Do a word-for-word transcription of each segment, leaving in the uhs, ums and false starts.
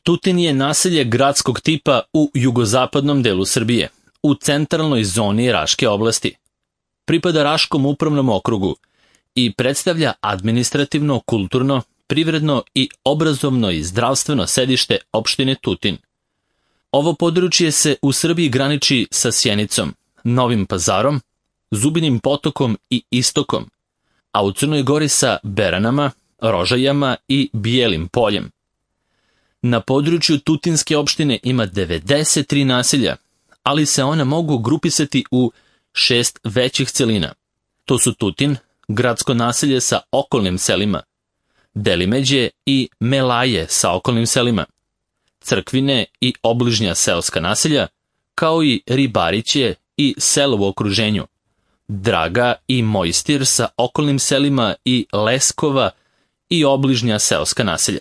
Tutin je naselje gradskog tipa u jugozapadnom delu Srbije, u centralnoj zoni Raške oblasti. Pripada Raškom upravnom okrugu i predstavlja administrativno, kulturno, privredno i obrazovno i zdravstveno sedište opštine Tutin. Ovo područje se u Srbiji graniči sa Sjenicom, Novim Pazarom, Zubinim Potokom i Istokom, a u Crnoj Gori sa Beranama, Rožajama i Bijelim Poljem. Na području Tutinske opštine ima devedeset tri naselja, ali se ona mogu grupisati u šest većih celina. To su Tutin, gradsko naselje sa okolnim selima, Delimeđe i Melaje sa okolnim selima, Crkvine i obližnja seoska naselja, kao i Ribariće i selo u okruženju, Draga i Mojstir sa okolnim selima i Leskova i obližnja seoska naselja.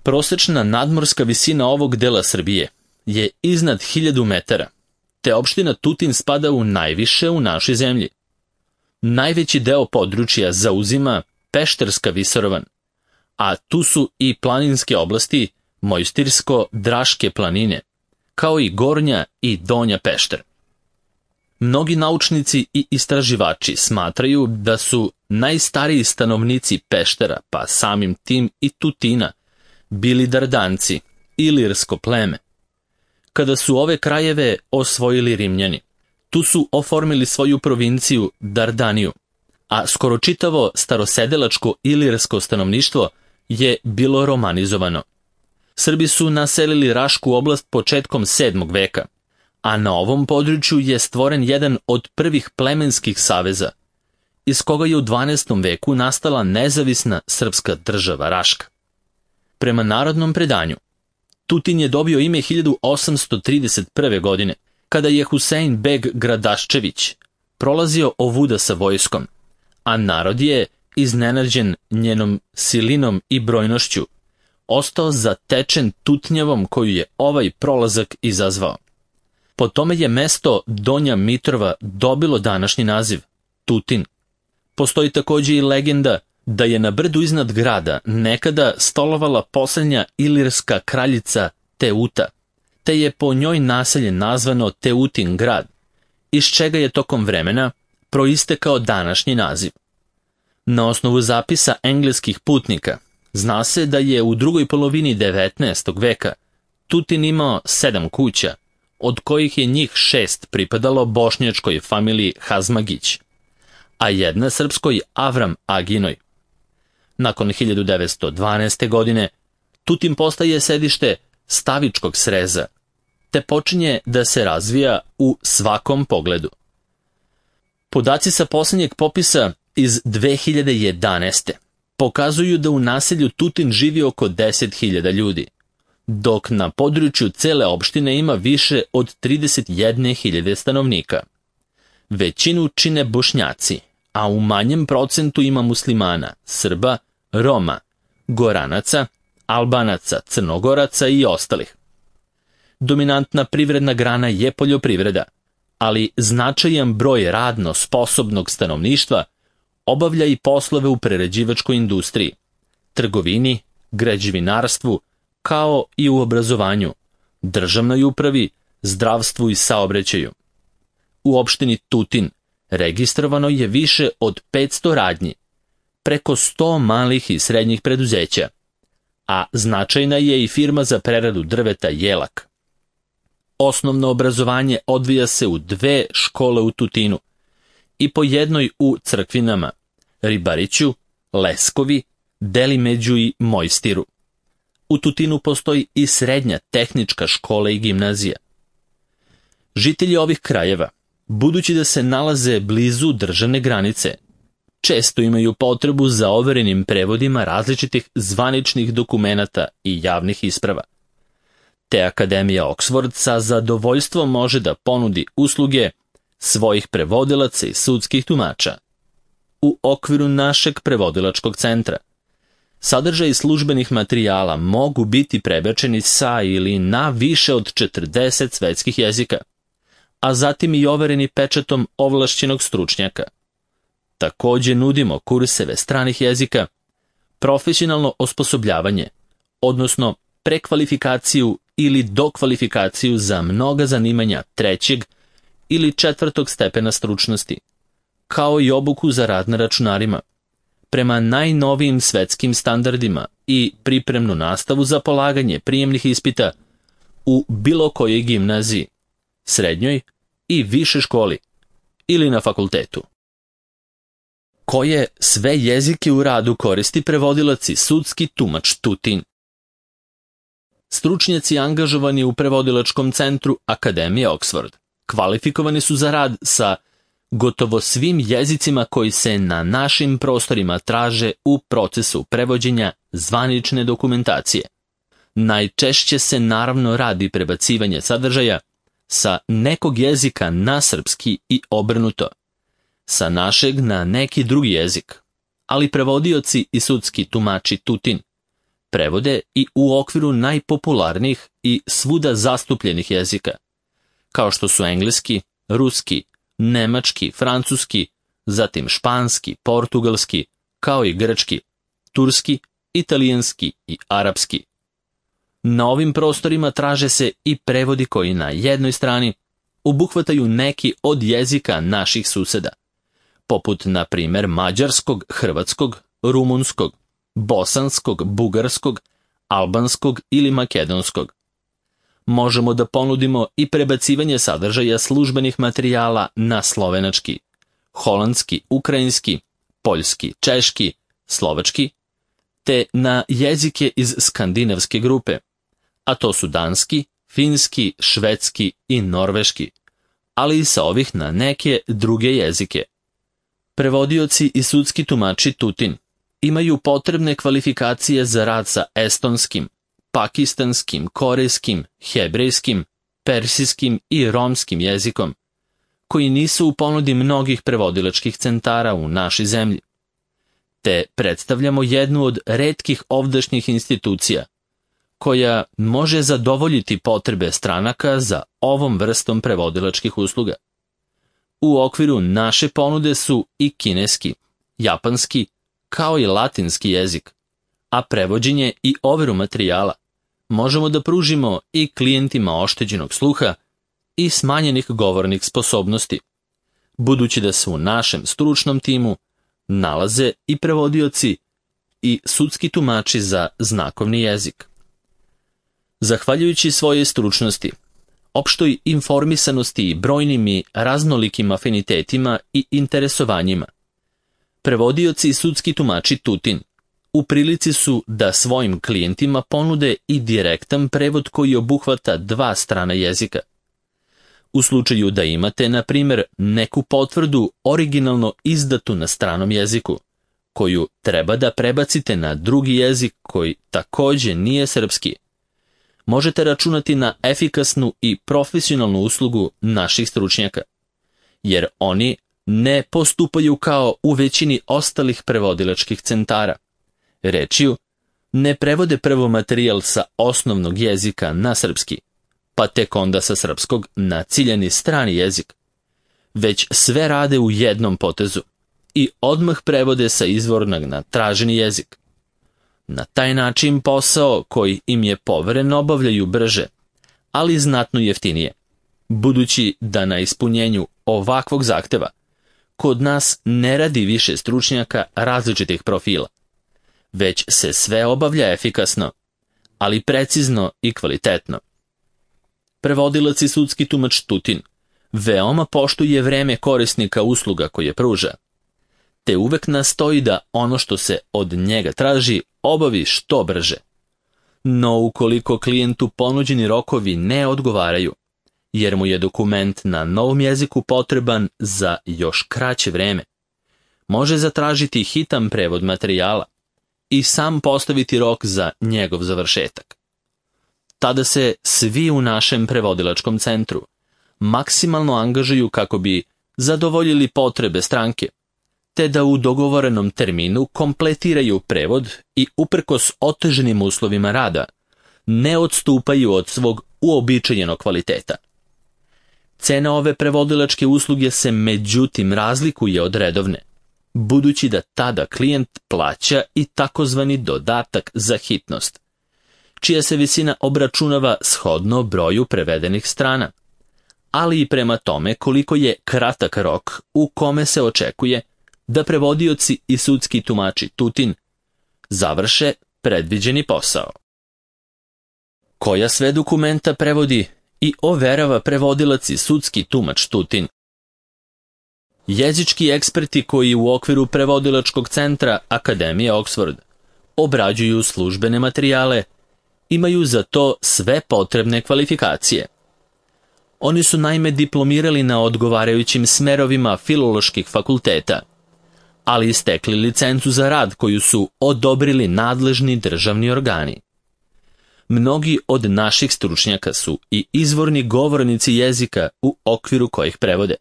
Prosečna nadmorska visina ovog dela Srbije je iznad hiljadu metara, te opština Tutin spada u najviše u našoj zemlji. Najveći deo područja zauzima Pešterska visoravan, a tu su i planinske oblasti Mojstirsko-Draške planine, kao i Gornja i Donja Pešter. Mnogi naučnici i istraživači smatraju da su najstariji stanovnici Peštera, pa samim tim i Tutina, bili Dardanci, ilirsko pleme. Kada su ove krajeve osvojili Rimljani, tu su oformili svoju provinciju Dardaniju, a skoro čitavo starosedelačko ilirsko stanovništvo je bilo romanizovano. Srbi su naselili Rašku oblast početkom sedmog veka, a na ovom području je stvoren jedan od prvih plemenskih saveza, iz koga je u dvanaestom veku nastala nezavisna srpska država Raška. Prema narodnom predanju, Tutin je dobio ime hiljadu osamsto trideset prve. godine, kada je Husein beg Gradaščević prolazio ovuda sa vojskom, a narod je, iznenađen njenom silinom i brojnošću, ostao zatečen tutnjavom koju je ovaj prolazak izazvao. Po tome je mesto Donja Mitrova dobilo današnji naziv, Tutin. Postoji također i legenda da je na brdu iznad grada nekada stolovala posljednja ilirska kraljica Teuta, te je po njoj naselje nazvano Teutin grad, iz čega je tokom vremena proistekao današnji naziv. Na osnovu zapisa engleskih putnika, zna se da je u drugoj polovini devetnaestog veka Tutin imao sedam kuća, od kojih je njih šest pripadalo bošnjačkoj familiji Hazmagić, a jedna srpskoj Avram Aginoj. Nakon hiljadu devetsto dvanaeste. godine Tutin postaje sedište stavičkog sreza, te počinje da se razvija u svakom pogledu. Podaci sa posljednjeg popisa iz dve hiljade jedanaeste. pokazuju da u naselju Tutin živi oko deset hiljada ljudi, dok na području cele opštine ima više od trideset jedne hiljade stanovnika. Većinu čine Bošnjaci, a u manjem procentu ima muslimana, Srba, Roma, Goranaca, Albanaca, Crnogoraca i ostalih. Dominantna privredna grana je poljoprivreda, ali značajan broj radno sposobnog stanovništva obavlja i poslove u prerađivačkoj industriji, trgovini, građevinarstvu, kao i u obrazovanju, državnoj upravi, zdravstvu i saobraćaju. U opštini Tutin registrovano je više od petsto radnji, preko sto malih i srednjih preduzeća, a značajna je i firma za preradu drveta Jelak. Osnovno obrazovanje odvija se u dve škole u Tutinu i po jednoj u Crkvinama, Ribariću, Leskovi, Delimeđu i Mojstiru. U Tutinu postoji i srednja tehnička škola i gimnazija. Žitelji ovih krajeva, budući da se nalaze blizu državne granice, često imaju potrebu za overenim prevodima različitih zvaničnih dokumenata i javnih isprava. Te Akademija Oxford sa zadovoljstvom može da ponudi usluge svojih prevodilaca i sudskih tumača. U okviru našeg prevodilačkog centra sadržaj službenih materijala mogu biti prebačeni sa ili na više od četrdeset svetskih jezika, a zatim i overeni pečatom ovlašćenog stručnjaka. Također nudimo kurseve stranih jezika, profesionalno osposobljavanje, odnosno prekvalifikaciju ili dokvalifikaciju za mnoga zanimanja trećeg ili četvrtog stepena stručnosti, kao i obuku za rad na računarima, prema najnovijim svetskim standardima i pripremnu nastavu za polaganje prijemnih ispita u bilo kojoj gimnaziji, srednjoj i više školi ili na fakultetu. Koje sve jezike u radu koristi prevodilac i sudski tumač Tutin? Stručnjaci angažovani u prevodilačkom centru Akademije Oxford kvalifikovani su za rad sa gotovo svim jezicima koji se na našim prostorima traže u procesu prevođenja zvanične dokumentacije. Najčešće se naravno radi prebacivanje sadržaja sa nekog jezika na srpski i obrnuto, sa našeg na neki drugi jezik, ali prevodioci i sudski tumači Tutin prevode i u okviru najpopularnijih i svuda zastupljenih jezika, kao što su engleski, ruski, nemački, francuski, zatim španski, portugalski, kao i grčki, turski, italijanski i arapski. Na ovim prostorima traže se i prevodi koji na jednoj strani obuhvataju neki od jezika naših suseda, poput na primjer mađarskog, hrvatskog, rumunskog, bosanskog, bugarskog, albanskog ili makedonskog. Možemo da ponudimo i prebacivanje sadržaja službenih materijala na slovenački, holandski, ukrajinski, poljski, češki, slovački, te na jezike iz skandinavske grupe, a to su danski, finski, švedski i norveški, ali i sa ovih na neke druge jezike. Prevodioci i sudski tumači Tutin imaju potrebne kvalifikacije za rad sa estonskim, pakistanskim, korejskim, hebrejskim, persijskim i romskim jezikom, koji nisu u ponudi mnogih prevodilačkih centara u našoj zemlji. Te predstavljamo jednu od retkih ovdašnjih institucija, koja može zadovoljiti potrebe stranaka za ovom vrstom prevodilačkih usluga. U okviru naše ponude su i kineski, japanski, kao i latinski jezik, a prevođenje i overu materijala možemo da pružimo i klijentima oštećenog sluha i smanjenih govornih sposobnosti, budući da se u našem stručnom timu nalaze i prevodioci i sudski tumači za znakovni jezik. Zahvaljujući svojoj stručnosti, opštoj informisanosti i brojnim i raznolikim afinitetima i interesovanjima, prevodioci i sudski tumači Tutin u prilici su da svojim klijentima ponude i direktan prevod koji obuhvata dva strana jezika. U slučaju da imate, na primjer, neku potvrdu originalno izdatu na stranom jeziku, koju treba da prebacite na drugi jezik koji također nije srpski, možete računati na efikasnu i profesionalnu uslugu naših stručnjaka, jer oni ne postupaju kao u većini ostalih prevodilačkih centara. Rečju, ne prevode prvo materijal sa osnovnog jezika na srpski, pa tek onda sa srpskog na ciljani strani jezik, već sve rade u jednom potezu i odmah prevode sa izvornog na traženi jezik. Na taj način posao koji im je poveren obavljaju brže, ali znatno jeftinije, budući da na ispunjenju ovakvog zahteva kod nas ne radi više stručnjaka različitih profila, već se sve obavlja efikasno, ali precizno i kvalitetno. Prevodilac i sudski tumač Tutin veoma poštuje vreme korisnika usluga koje pruža, te uvek nastoji da ono što se od njega traži obavi što brže. No ukoliko klijentu ponuđeni rokovi ne odgovaraju, jer mu je dokument na novom jeziku potreban za još kraće vreme, može zatražiti hitan prevod materijala i sam postaviti rok za njegov završetak. Tada se svi u našem prevodilačkom centru maksimalno angažuju kako bi zadovoljili potrebe stranke, te da u dogovorenom terminu kompletiraju prevod i uprkos oteženim uslovima rada ne odstupaju od svog uobičajenog kvaliteta. Cena ove prevodilačke usluge se međutim razlikuje od redovne, budući da tada klijent plaća i takozvani dodatak za hitnost, čija se visina obračunava shodno broju prevedenih strana, ali i prema tome koliko je kratak rok u kome se očekuje da prevodioci i sudski tumači Tutin završe predviđeni posao. Koja sve dokumenta prevodi i overava prevodilac i sudski tumač Tutin? Jezički eksperti koji u okviru prevodilačkog centra Akademije Oxford obrađuju službene materijale, imaju za to sve potrebne kvalifikacije. Oni su naime diplomirali na odgovarajućim smerovima filoloških fakulteta, ali istekli licencu za rad koju su odobrili nadležni državni organi. Mnogi od naših stručnjaka su i izvorni govornici jezika u okviru kojih prevode,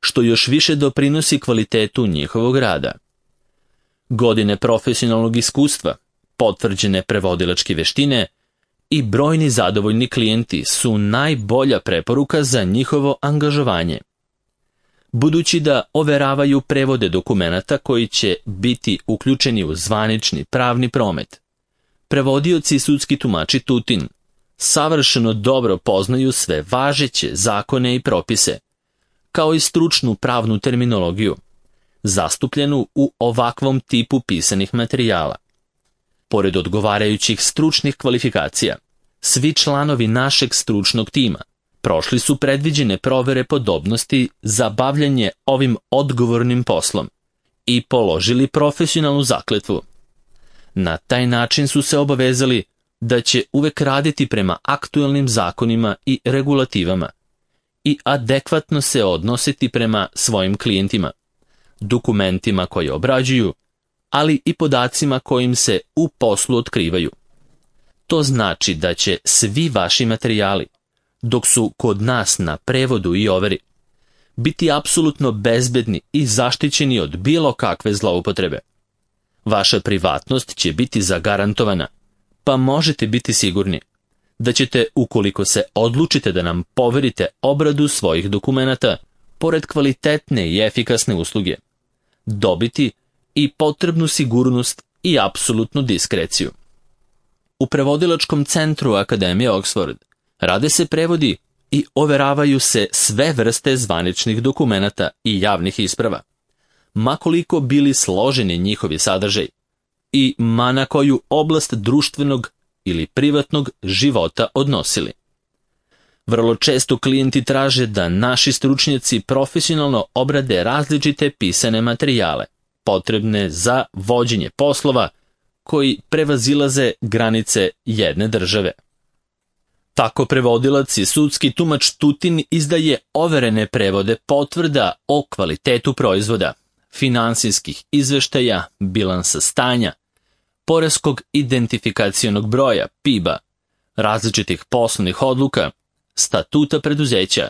što još više doprinosi kvalitetu njihovog rada. Godine profesionalnog iskustva, potvrđene prevodilačke veštine i brojni zadovoljni klijenti su najbolja preporuka za njihovo angažovanje. Budući da overavaju prevode dokumenata koji će biti uključeni u zvanični pravni promet, prevodioci i sudski tumači Tutin savršeno dobro poznaju sve važeće zakone i propise, kao i stručnu pravnu terminologiju, zastupljenu u ovakvom tipu pisanih materijala. Pored odgovarajućih stručnih kvalifikacija, svi članovi našeg stručnog tima prošli su predviđene provere podobnosti za bavljanje ovim odgovornim poslom i položili profesionalnu zakletvu. Na taj način su se obavezali da će uvek raditi prema aktuelnim zakonima i regulativama i adekvatno se odnositi prema svojim klijentima, dokumentima koje obrađuju, ali i podacima kojim se u poslu otkrivaju. To znači da će svi vaši materijali, dok su kod nas na prevodu i overi, biti apsolutno bezbedni i zaštićeni od bilo kakve zloupotrebe. Vaša privatnost će biti zagarantovana, pa možete biti sigurni da ćete, ukoliko se odlučite da nam poverite obradu svojih dokumenata, pored kvalitetne i efikasne usluge, dobiti i potrebnu sigurnost i apsolutnu diskreciju. U prevodilačkom centru Akademije Oxford rade se prevodi i overavaju se sve vrste zvaničnih dokumenata i javnih isprava, ma koliko bili složeni njihovi sadržaj i ma na koju oblast društvenog ili privatnog života odnosili. Vrlo često klijenti traže da naši stručnjaci profesionalno obrade različite pisane materijale, potrebne za vođenje poslova koji prevazilaze granice jedne države. Tako prevodilac i sudski tumač Tutin izdaje overene prevode potvrda o kvalitetu proizvoda, finansijskih izveštaja, bilansa stanja, poreskog identifikacionog broja, P I B-a, različitih poslovnih odluka, statuta preduzeća,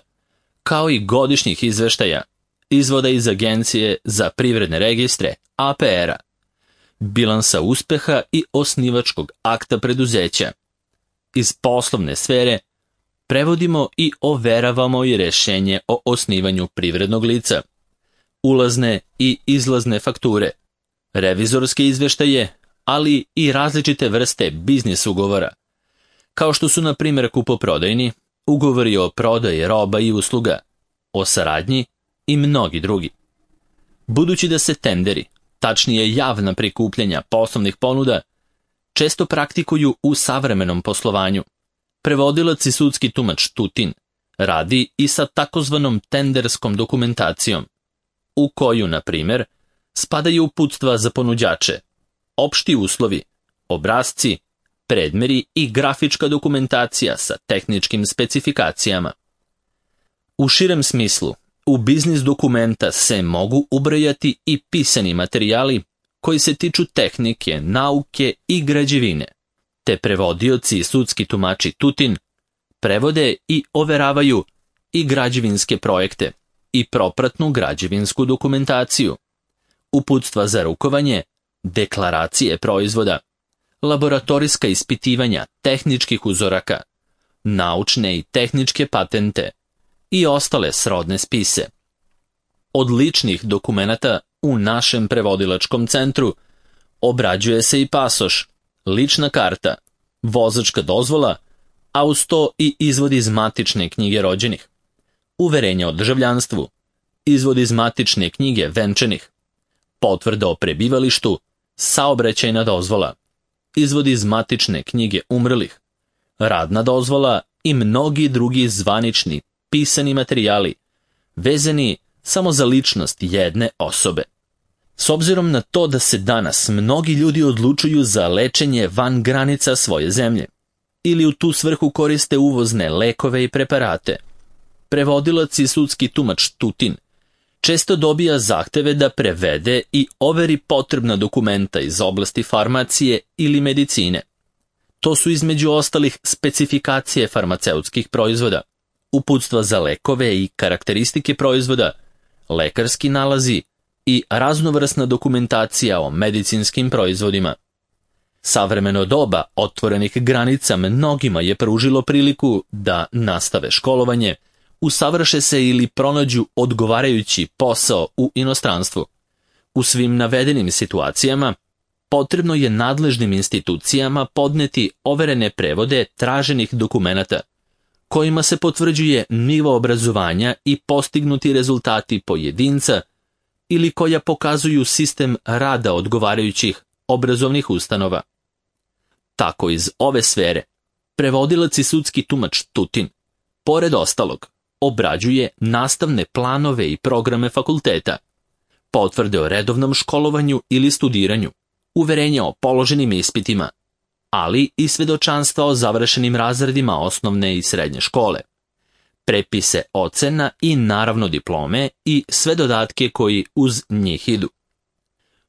kao i godišnjih izveštaja, izvoda iz Agencije za privredne registre, A P R-a, bilansa uspeha i osnivačkog akta preduzeća. Iz poslovne sfere prevodimo i overavamo i rešenje o osnivanju privrednog lica, ulazne i izlazne fakture, revizorske izveštaje, ali i različite vrste biznis ugovora, kao što su na primjer kupoprodajni, ugovori o prodaji roba i usluga, o saradnji i mnogi drugi. Budući da se tenderi, tačnije javna prikupljanja poslovnih ponuda, često praktikuju u savremenom poslovanju, prevodilac i sudski tumač Tutin radi i sa takozvanom tenderskom dokumentacijom, u koju, na primjer, spadaju uputstva za ponuđače, opšti uslovi, obrasci, predmeri i grafička dokumentacija sa tehničkim specifikacijama. U širem smislu, u biznis dokumenta se mogu ubrajati i pisani materijali koji se tiču tehnike, nauke i građevine, te prevodioci i sudski tumači Tutin prevode i overavaju i građevinske projekte i propratnu građevinsku dokumentaciju, uputstva za rukovanje, deklaracije proizvoda, laboratorijska ispitivanja tehničkih uzoraka, naučne i tehničke patente i ostale srodne spise. Od ličnih dokumenata u našem prevodilačkom centru obrađuje se i pasoš, lična karta, vozačka dozvola, a uz to i izvod iz matične knjige rođenih, uverenje o državljanstvu, izvod iz matične knjige venčanih, potvrda o prebivalištu, saobraćajna dozvola, izvod iz matične knjige umrlih, radna dozvola i mnogi drugi zvanični pisani materijali vezani samo za ličnost jedne osobe. S obzirom na to da se danas mnogi ljudi odlučuju za lečenje van granica svoje zemlje ili u tu svrhu koriste uvozne lekove i preparate, prevodilac i sudski tumač Tutin često dobija zahteve da prevede i overi potrebna dokumenta iz oblasti farmacije ili medicine. To su između ostalih specifikacije farmaceutskih proizvoda, uputstva za lekove i karakteristike proizvoda, lekarski nalazi i raznovrsna dokumentacija o medicinskim proizvodima. Savremeno doba otvorenih granica mnogima je pružilo priliku da nastave školovanje, usavrše se ili pronađu odgovarajući posao u inostranstvu. U svim navedenim situacijama potrebno je nadležnim institucijama podneti overene prevode traženih dokumenata, kojima se potvrđuje nivo obrazovanja i postignuti rezultati pojedinca ili koja pokazuju sistem rada odgovarajućih obrazovnih ustanova. Tako iz ove sfere, prevodilac i sudski tumač Tutin, pored ostalog, obrađuje nastavne planove i programe fakulteta, potvrde o redovnom školovanju ili studiranju, uverenja o položenim ispitima, ali i svedočanstva o završenim razredima osnovne i srednje škole, prepise ocena i naravno diplome i sve dodatke koji uz njih idu.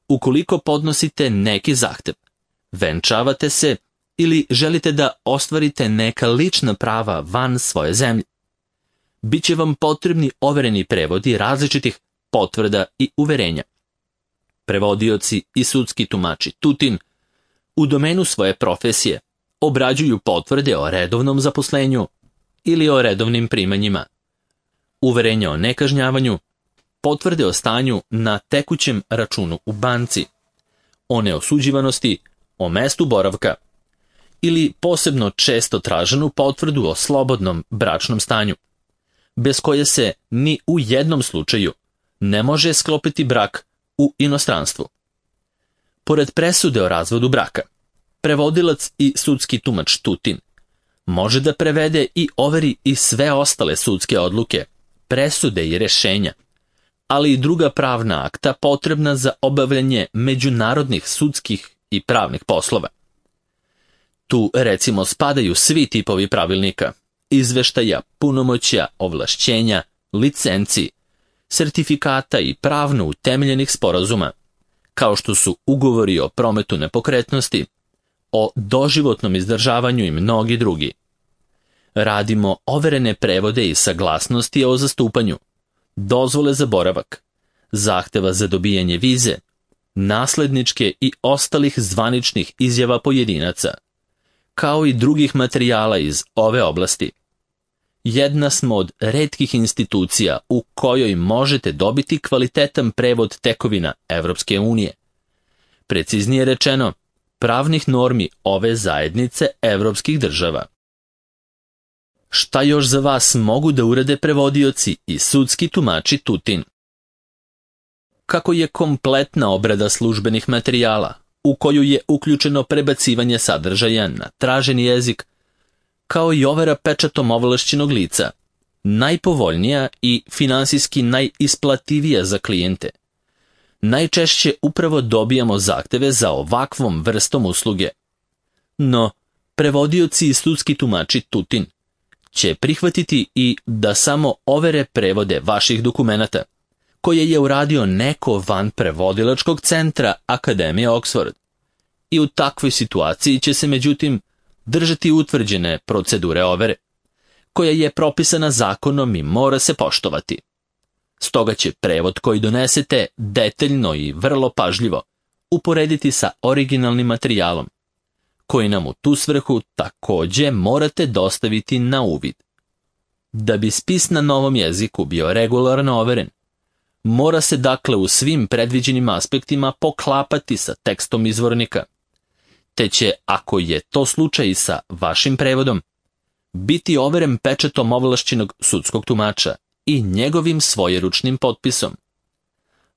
Ukoliko podnosite neki zahtev, venčavate se ili želite da ostvarite neka lična prava van svoje zemlje, biće vam potrebni overeni prevodi različitih potvrda i uverenja. Prevodioci i sudski tumači Tutin u domenu svoje profesije obrađuju potvrde o redovnom zaposlenju ili o redovnim primanjima, uverenja o nekažnjavanju, potvrde o stanju na tekućem računu u banci, o neosuđivanosti, o mestu boravka ili posebno često traženu potvrdu o slobodnom bračnom stanju, bez koje se ni u jednom slučaju ne može sklopiti brak u inostranstvu. Pored presude o razvodu braka, prevodilac i sudski tumač Tutin može da prevede i overi i sve ostale sudske odluke, presude i rešenja, ali i druga pravna akta potrebna za obavljanje međunarodnih sudskih i pravnih poslova. Tu recimo spadaju svi tipovi pravilnika, izveštaja, punomoćja, ovlašćenja, licenci, sertifikata i pravno utemeljenih sporazuma, kao što su ugovori o prometu nepokretnosti, o doživotnom izdržavanju i mnogi drugi. Radimo overene prevode i saglasnosti o zastupanju, dozvole za boravak, zahteva za dobijanje vize, nasledničke i ostalih zvaničnih izjava pojedinaca, kao i drugih materijala iz ove oblasti. Jedna smo od retkih institucija u kojoj možete dobiti kvalitetan prevod tekovina Evropske unije. Preciznije rečeno, pravnih normi ove zajednice evropskih država. Šta još za vas mogu da urade prevodioci i sudski tumači Tutin? Kako je kompletna obrada službenih materijala, u koju je uključeno prebacivanje sadržaja na traženi jezik, kao i overa pečatom ovlašćenog lica, najpovoljnija i finansijski najisplativija za klijente. Najčešće upravo dobijamo zahteve za ovakvom vrstom usluge. No, prevodioci i sudski tumači Tutin će prihvatiti i da samo overe prevode vaših dokumenata, koje je uradio neko van prevodilačkog centra Akademije Oxford. I u takvoj situaciji će se međutim držati utvrđene procedure overe, koja je propisana zakonom i mora se poštovati. Stoga će prevod koji donesete detaljno i vrlo pažljivo uporediti sa originalnim materijalom, koji nam u tu svrhu takođe morate dostaviti na uvid. Da bi spis na novom jeziku bio regularno overen, mora se dakle u svim predviđenim aspektima poklapati sa tekstom izvornika. te će, ako je to slučaj sa vašim prevodom, biti overen pečatom ovlašćenog sudskog tumača i njegovim svojeručnim potpisom.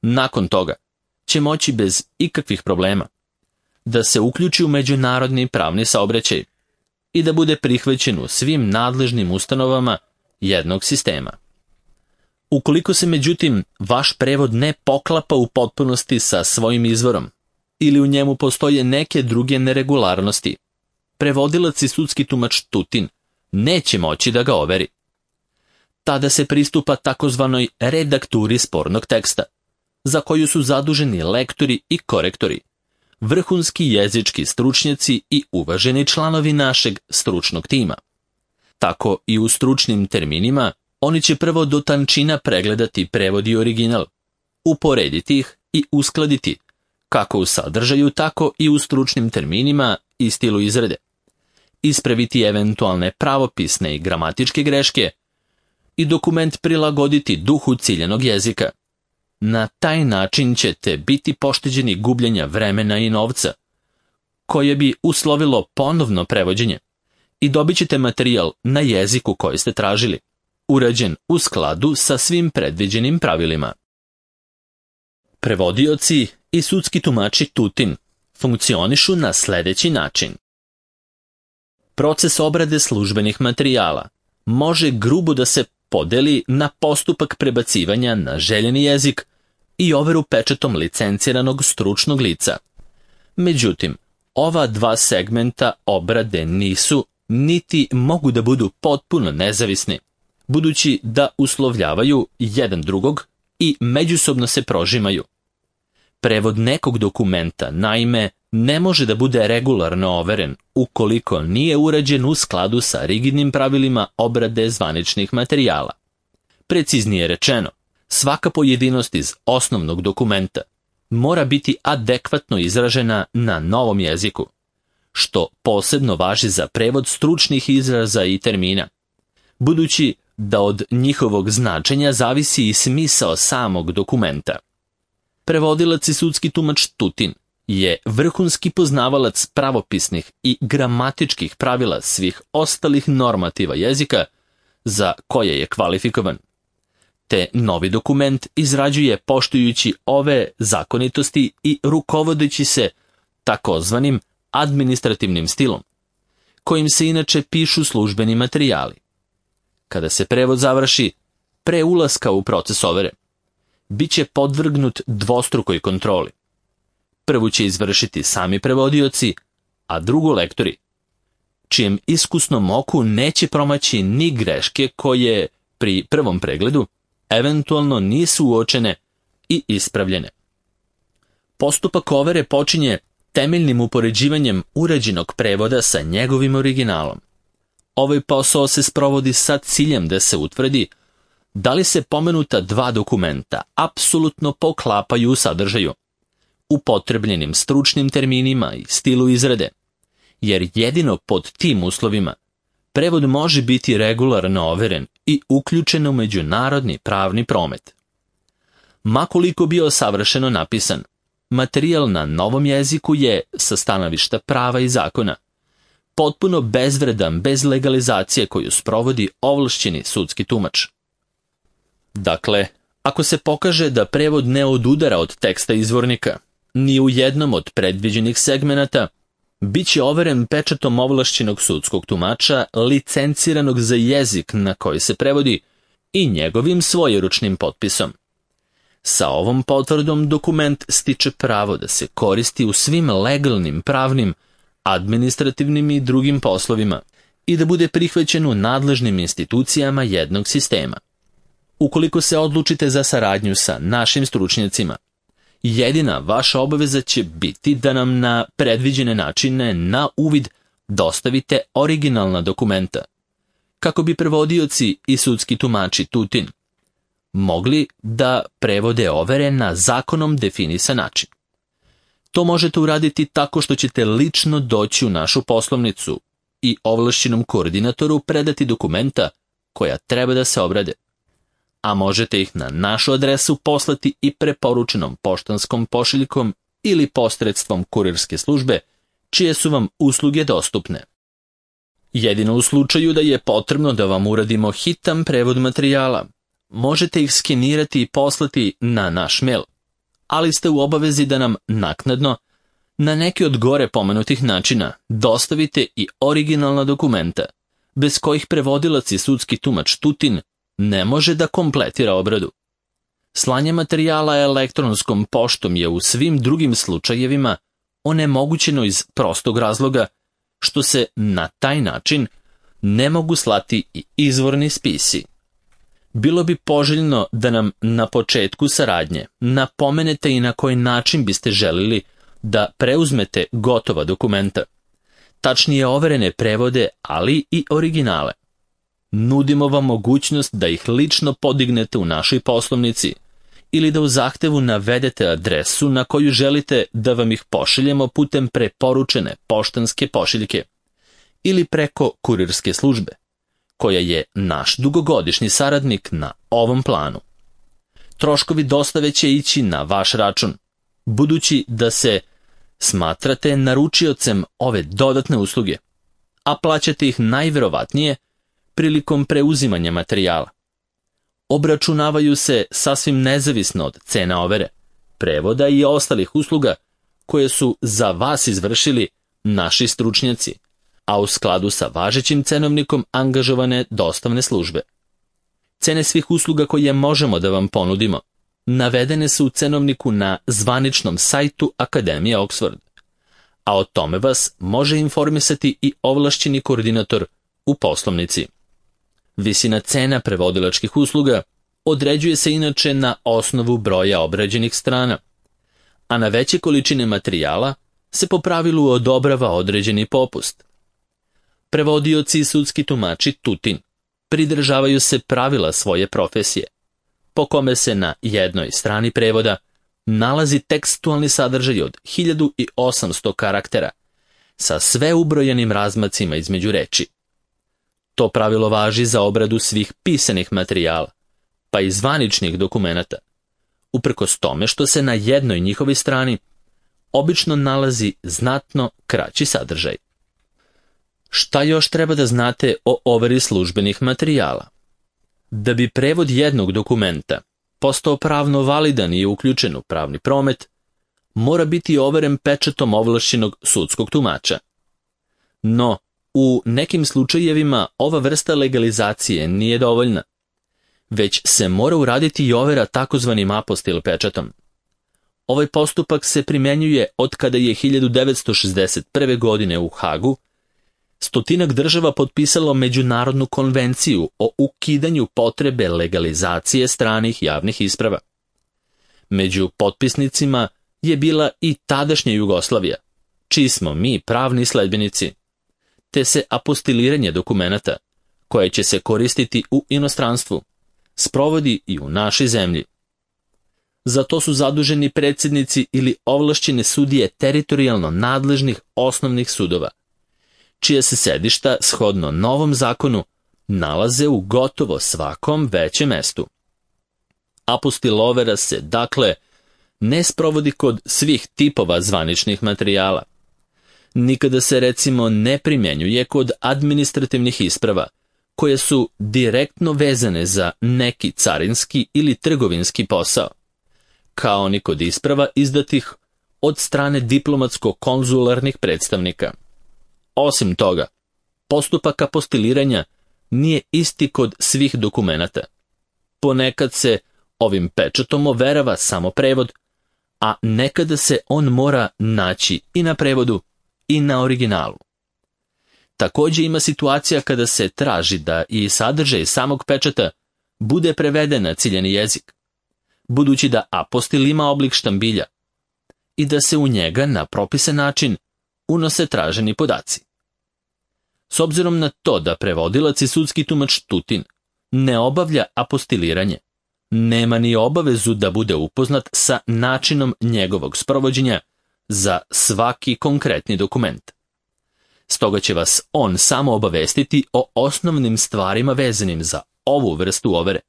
Nakon toga će moći bez ikakvih problema da se uključi u međunarodni pravni saobraćaj i da bude prihvaćen u svim nadležnim ustanovama jednog sistema. Ukoliko se međutim vaš prevod ne poklapa u potpunosti sa svojim izvorom ili u njemu postoje neke druge neregularnosti, prevodilac i sudski tumač Tutin neće moći da ga overi. Tada se pristupa takozvanoj redakturi spornog teksta, za koju su zaduženi lektori i korektori, vrhunski jezički stručnjaci i uvaženi članovi našeg stručnog tima. Tako i u stručnim terminima oni će prvo do tančina pregledati prevod i original, uporediti ih i uskladiti, kako u sadržaju, tako i u stručnim terminima i stilu izrade, ispraviti eventualne pravopisne i gramatičke greške i dokument prilagoditi duhu ciljanog jezika. Na taj način ćete biti pošteđeni gubljenja vremena i novca, koje bi uslovilo ponovno prevođenje, i dobit ćete materijal na jeziku koji ste tražili, urađen u skladu sa svim predviđenim pravilima. Prevodioci i sudski tumači Tutin funkcionišu na sljedeći način. Proces obrade službenih materijala može grubo da se podeli na postupak prebacivanja na željeni jezik i overu pečatom licenciranog stručnog lica. Međutim, ova dva segmenta obrade nisu, niti mogu da budu potpuno nezavisni, budući da uslovljavaju jedan drugog i međusobno se prožimaju. Prevod nekog dokumenta, naime, ne može da bude regularno overen ukoliko nije urađen u skladu sa rigidnim pravilima obrade zvaničnih materijala. Preciznije rečeno, svaka pojedinost iz osnovnog dokumenta mora biti adekvatno izražena na novom jeziku, što posebno važi za prevod stručnih izraza i termina, budući da od njihovog značenja zavisi i smisao samog dokumenta. Prevodilac i sudski tumač Tutin je vrhunski poznavalac pravopisnih i gramatičkih pravila svih ostalih normativa jezika za koje je kvalifikovan, te novi dokument izrađuje poštujući ove zakonitosti i rukovodeći se takozvanim administrativnim stilom, kojim se inače pišu službeni materijali. Kada se prevod završi, pre ulaska u proces overe, bit će podvrgnut dvostrukoj kontroli. Prvu će izvršiti sami prevodioci, a drugu lektori, čijem iskusnom oku neće promaći ni greške koje pri prvom pregledu eventualno nisu uočene i ispravljene. Postupak overe počinje temeljnim upoređivanjem urađenog prevoda sa njegovim originalom. Ovaj posao se sprovodi sa ciljem da se utvrdi da li se pomenuta dva dokumenta apsolutno poklapaju u sadržaju, upotrebljenim stručnim terminima i stilu izrade, jer jedino pod tim uslovima prevod može biti regularno overen i uključen u međunarodni pravni promet. Makoliko bio savršeno napisan, materijal na novom jeziku je, sa stanovišta prava i zakona, potpuno bezvredan bez legalizacije koju sprovodi ovlašćeni sudski tumač. Dakle, ako se pokaže da prevod ne odudara od teksta izvornika, ni u jednom od predviđenih segmenata, bit će overen pečatom ovlašćenog sudskog tumača licenciranog za jezik na koji se prevodi i njegovim svojeručnim potpisom. Sa ovom potvrdom dokument stiče pravo da se koristi u svim legalnim, pravnim, administrativnim i drugim poslovima i da bude prihvaćen u nadležnim institucijama jednog sistema. Ukoliko se odlučite za saradnju sa našim stručnjacima, jedina vaša obaveza će biti da nam na predviđene načine na uvid dostavite originalna dokumenta, kako bi prevodioci i sudski tumači Tutin mogli da prevode overe na zakonom definisan način. To možete uraditi tako što ćete lično doći u našu poslovnicu i ovlašćenom koordinatoru predati dokumenta koja treba da se obrade, a možete ih na našu adresu poslati i preporučenom poštanskom pošiljkom ili posredstvom kurirske službe čije su vam usluge dostupne. Jedino u slučaju da je potrebno da vam uradimo hitan prevod materijala, možete ih skenirati i poslati na naš mail, ali ste u obavezi da nam naknadno, na neki od gore pomenutih načina, dostavite i originalna dokumenta, bez kojih prevodilac i sudski tumač Tutin ne može da kompletira obradu. Slanje materijala elektronskom poštom je u svim drugim slučajevima onemogućeno iz prostog razloga što se na taj način ne mogu slati i izvorni spisi. Bilo bi poželjno da nam na početku saradnje napomenete i na koji način biste želili da preuzmete gotova dokumenta, tačnije overene prevode, ali i originale. Nudimo vam mogućnost da ih lično podignete u našoj poslovnici ili da u zahtevu navedete adresu na koju želite da vam ih pošaljemo putem preporučene poštanske pošiljke ili preko kurirske službe, koja je naš dugogodišnji saradnik na ovom planu. Troškovi dostave će ići na vaš račun, budući da se smatrate naručiocem ove dodatne usluge, a plaćate ih najverovatnije prilikom preuzimanja materijala. Obračunavaju se sasvim nezavisno od cena overe, prevoda i ostalih usluga koje su za vas izvršili naši stručnjaci, a u skladu sa važećim cenovnikom angažovane dostavne službe. Cene svih usluga koje možemo da vam ponudimo navedene su u cenovniku na zvaničnom sajtu Akademije Oxford, a o tome vas može informisati i ovlašćeni koordinator u poslovnici. Visina cena prevodilačkih usluga određuje se inače na osnovu broja obrađenih strana, a na veće količine materijala se po pravilu odobrava određeni popust. Prevodioci i sudski tumači Tutin pridržavaju se pravila svoje profesije, po kome se na jednoj strani prevoda nalazi tekstualni sadržaj od hiljadu osamsto karaktera sa sve ubrojenim razmacima između reči. To pravilo važi za obradu svih pisanih materijala, pa i zvaničnih dokumenata, uprkos tome što se na jednoj njihovoj strani obično nalazi znatno kraći sadržaj. Šta još treba da znate o overi službenih materijala? Da bi prevod jednog dokumenta postao pravno validan i uključen u pravni promet, mora biti overen pečatom ovlašćenog sudskog tumača. No, u nekim slučajevima ova vrsta legalizacije nije dovoljna, već se mora uraditi i overa takozvanim apostil pečatom. Ovaj postupak se primjenjuje od kada je hiljadu devetsto šezdeset prve. godine u Hagu stotinak država potpisalo Međunarodnu konvenciju o ukidanju potrebe legalizacije stranih javnih isprava. Među potpisnicima je bila i tadašnja Jugoslavija, čiji smo mi pravni sledbenici, te se apostiliranje dokumenata, koje će se koristiti u inostranstvu, sprovodi i u našoj zemlji. Za to su zaduženi predsjednici ili ovlašćene sudije teritorijalno nadležnih osnovnih sudova, čija se sedišta, shodno novom zakonu, nalaze u gotovo svakom većem mestu. Apostil overa se, dakle, ne sprovodi kod svih tipova zvaničnih materijala. Nikada se, recimo, ne primjenjuje kod administrativnih isprava, koje su direktno vezane za neki carinski ili trgovinski posao, kao ni kod isprava izdatih od strane diplomatsko-konzularnih predstavnika. Osim toga, postupak apostiliranja nije isti kod svih dokumenata. Ponekad se ovim pečatom overava samo prevod, a nekada se on mora naći i na prevodu i na originalu. Također ima situacija kada se traži da i sadržaj samog pečata bude preveden na ciljani jezik, budući da apostil ima oblik štambilja i da se u njega na propisan način unose traženi podaci. S obzirom na to da prevodilac i sudski tumač Tutin ne obavlja apostiliranje, nema ni obavezu da bude upoznat sa načinom njegovog sprovođenja za svaki konkretni dokument. Stoga će vas on samo obavestiti o osnovnim stvarima vezanim za ovu vrstu overe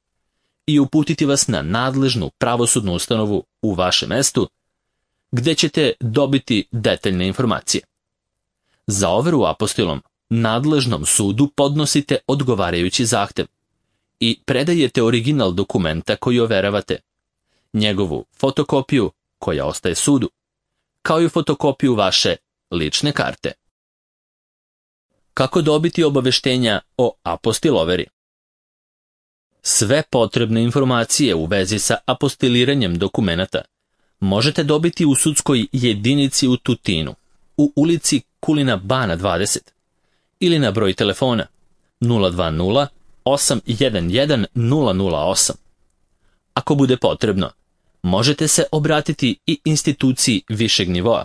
i uputiti vas na nadležnu pravosudnu ustanovu u vašem mestu, gde ćete dobiti detaljne informacije. Za overu apostilom nadležnom sudu podnosite odgovarajući zahtev i predajete original dokumenta koji overavate, njegovu fotokopiju koja ostaje sudu, kao i fotokopiju vaše lične karte. Kako dobiti obaveštenja o apostil overi? Sve potrebne informacije u vezi sa apostiliranjem dokumenata možete dobiti u sudskoj jedinici u Tutinu, u ulici Kulina Bana dvadeset, ili na broj telefona nula dva nula osam jedan jedan nula nula osam. Ako bude potrebno, možete se obratiti i instituciji višeg nivoa,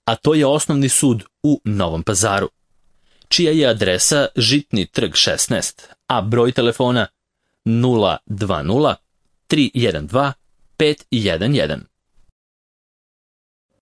a to je Osnovni sud u Novom Pazaru, čija je adresa Žitni trg šesnaest, a broj telefona nula dva nula tri jedan dva pet jedan jedan.